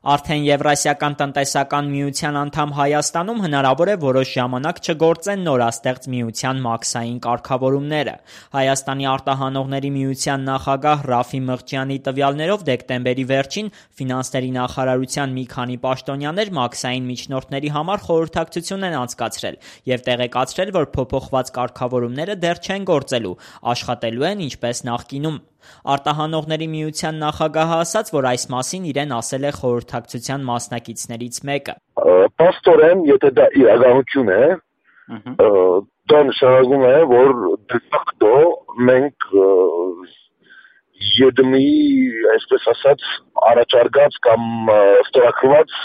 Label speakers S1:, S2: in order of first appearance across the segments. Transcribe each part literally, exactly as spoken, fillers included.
S1: Արդեն Եվրասիական տնտեսական միության անդամ Հայաստանում հնարավոր է որոշ ժամանակ չգործեն նորաստեղծ միության մաքսային կարգավորումները։ Հայաստանի արտահանողների միության նախագահ Ռաֆի Մղջյանի տվյալներով դեկտեմբերի վերջին ֆինանսների նախարարության մի քանի պաշտոնյաներ մաքսային միջնորդների համար խորհրդակցություն են անցկացրել և տեղեկացրել, որ փոփոխված կարգավորումները դեռ չեն գործելու, աշխատելու են ինչպես նախկինում։ Արտահանողների միության նախագահը ասաց, որ այս մասին իրեն ասել է խորհրդակցության մասնակիցներից մեկը։
S2: Պաստորեն, եթե դա իրականություն է, դա նշանակում է, որ դե ֆակտո մենք ԵԴՄ-ի, այսպես ասած, առաջարկած կամ ստորագրված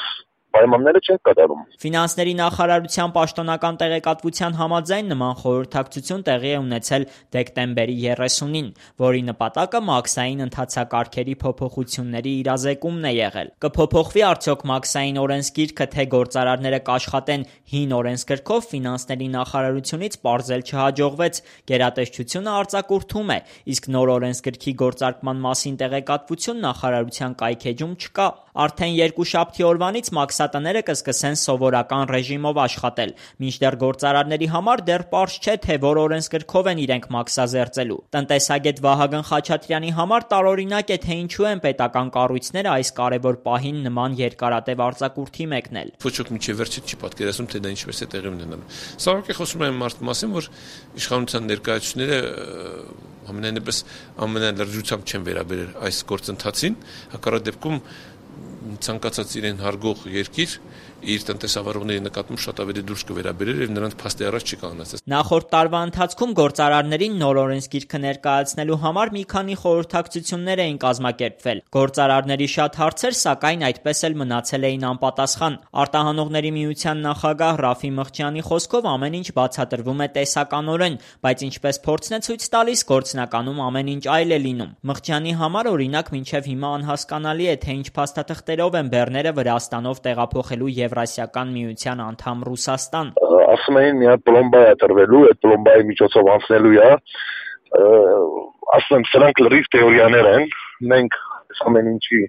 S2: պայմանները չեն կատարում։
S1: Ֆինանսների նախարարության պաշտոնական տեղեկատվության համաձայն նման խորհրդակցություն տեղի է ունեցել դեկտեմբերի երեսունին, որի նպատակը մաքսային ընթացակարգերի փոփոխությունների իրազեկումն է եղել։ Կփոփոխվի արդյոք մաքսային օրենսգիրքը, թե գործարարները կաշխատեն հին օրենսգրքով, ֆինանսների նախարարությունից պարզել չհաջողվեց։ Գերատեսչությունը արձակուրդում է, իսկ նոր օրենսգրքի գործարկման մասին տեղեկատվություն նախարարության կայքէջում չկա։ Արդեն երկուշաբթի օրվանից մաքսատները կսկսեն սովորական ռեժիմով աշխատել, մինչդեռ գործարարների համար դեռ պարզ չէ, թե որ օրենսգրքով են իրենք մաքսազերծելու։ Տնտեսագետ Վահագն Խաչատրյանի համար տարօրինակ է, թե ինչու են պետական կառույցները այս կարևոր պահին նման երկարատև արձակուրդի մեկնել։
S3: Ոչ ոք մինչև վերջը չի պատկերացնում, թե դա ինչպես է տեղի ունենալու։ Սա ուղղակի խոսում է այն մասին, որ իշխանության ներկայացուցիչները ամենայնպես ամենալրջությամբ չեն վերաբերել այս գործընթացին, հակառակ դեպքում ցանկացած իրեն հարգող երկիր իր տնտեսավարողների նկատմամբ շատ ավելի դուրս կվերաբերեր եւ նրանց փաստի առաջ չի կանոնացած։
S1: Նախորդ տարվա ընթացքում գործարարներին նոր օրենսգիրքը ներկայացնելու համար մի քանի խորհրդակցություններ էին կազմակերպվել։ Գործարարների շատ հարցեր, սակայն, այդպես էլ մնացել էին անպատասխան։ Արտահանողների միության նախագահ Ռաֆի Մղջյանի խոսքով ամեն ինչ բացատրվում է տեսականորեն, բայց ինչպես փորձն է ցույց տալիս, գործնականում ամեն ինչ այլ է լինում։ Մղջյանի համար, օրինակ, մինչև հիմա անհասկանալի է, թե ինչ փաստաթղթերով են բեռները Վրաստանով տեղափոխելու Եվրասիական միության անդամ Ռուսաստան։
S2: Ասում էին մի հատ պլոմբա է տրվելու, այդ պլոմբայի միջոցով անցնելու է, ասում եմ, սրանք լրիվ թեորիաներ են, մենք ամեն ինչի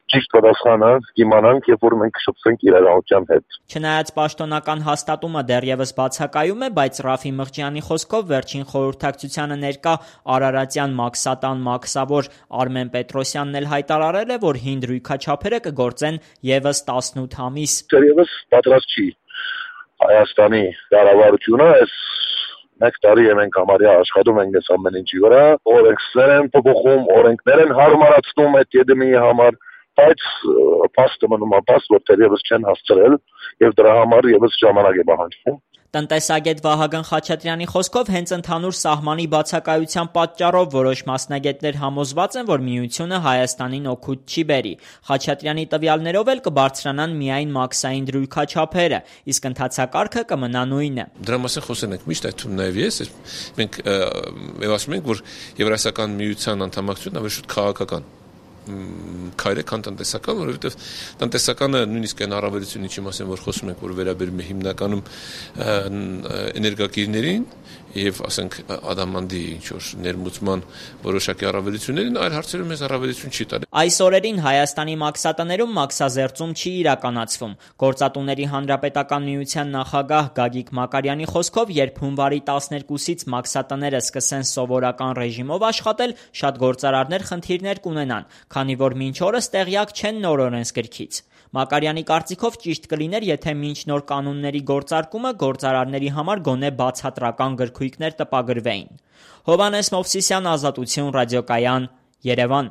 S2: ճիշտ պատասխանը կիմանանք, երբ որ մենք կշփվենք իրականության հետ։
S1: Չնայած պաշտոնական հաստատումը դեռևս բացակայում է, բայց Ռաֆի Մղջյանի խոսքով վերջին խորհրդակցությանը ներկա արարատյան մաքսատան մաքսավոր Արմեն Պետրոսյանն էլ հայտարարել է, որ հին դրույքաչափերը կգործեն ևս տասնութ ամիս։
S2: Դեռևս պատրաստ չի Հայաստանի կառավարությունը այս մեկ տարի է մենք համարյա աշխատում ենք այս ամեն ինչի վրա, օրենքներ են փոփոխում, օրենքներ են հարմարացնում այդ ԵԴՄ-ի համար, բայց փաստը մնում է փաստ, որ դեռևս չեն հասցրել եւ դրա համար եւս ժամանակ է պահանջվում։
S1: Տնտեսագետ Վահագն Խաչատրյանի խոսքով հենց ընդհանուր սահմանի բացակայության պատճառով որոշ մասնագետներ համոզված են, որ միությունը Հայաստանին օգուտ չի բերի։ Խաչատրյանի տվյալներով էլ կբարձրանան միայն մաքսային դրույքաչափերը, իսկ ընթացակարգը կմնա նույնը։
S3: Դրա մասին խոսել ենք միշտ, այդ թվում նաև ես, մենք եւ ասում ենք, որ Եվրասիական միության անդամակցությունն ավելի շուտ քաղաքական քայլ է, քան տնտեսական, որովհետև տնտեսականը նույնիսկ այն առավելություն ինչի մասին որ խոսում ենք, որ վերաբերում է հիմնականում էներգակիրներին եւ ասենք ադամանդի ինչ որ ներմուծման որոշակի առավելություններին, այլ հարցերում մեզ առավելություն չի տալի։
S1: Այս օրերին Հայաստանի մաքսատներում մաքսազերծում չի իրականացվում։ Գործատուների հանրապետական միության նախագահ Գագիկ Մակարյանի խոսքով, երբ հունվարի տասներկուսից մաքսատները սկսեն սովորական ռեժիմով աշխատել, շատ գործարարներ խնդիրներ կունենան, քանի որ մինչ օրս տեղյակ չեն նոր օրենսգրքից։ Մակարյանի կարծիքով ճիշտ կլիներ, եթե մինչ նոր կանոնների գործարկումը գործարարների համար գոնե բացատրական գրքույկներ տպագրվեին։ Հովհաննես Մովսիսյան, Ազատություն, Ռադիոկայան, Երևան։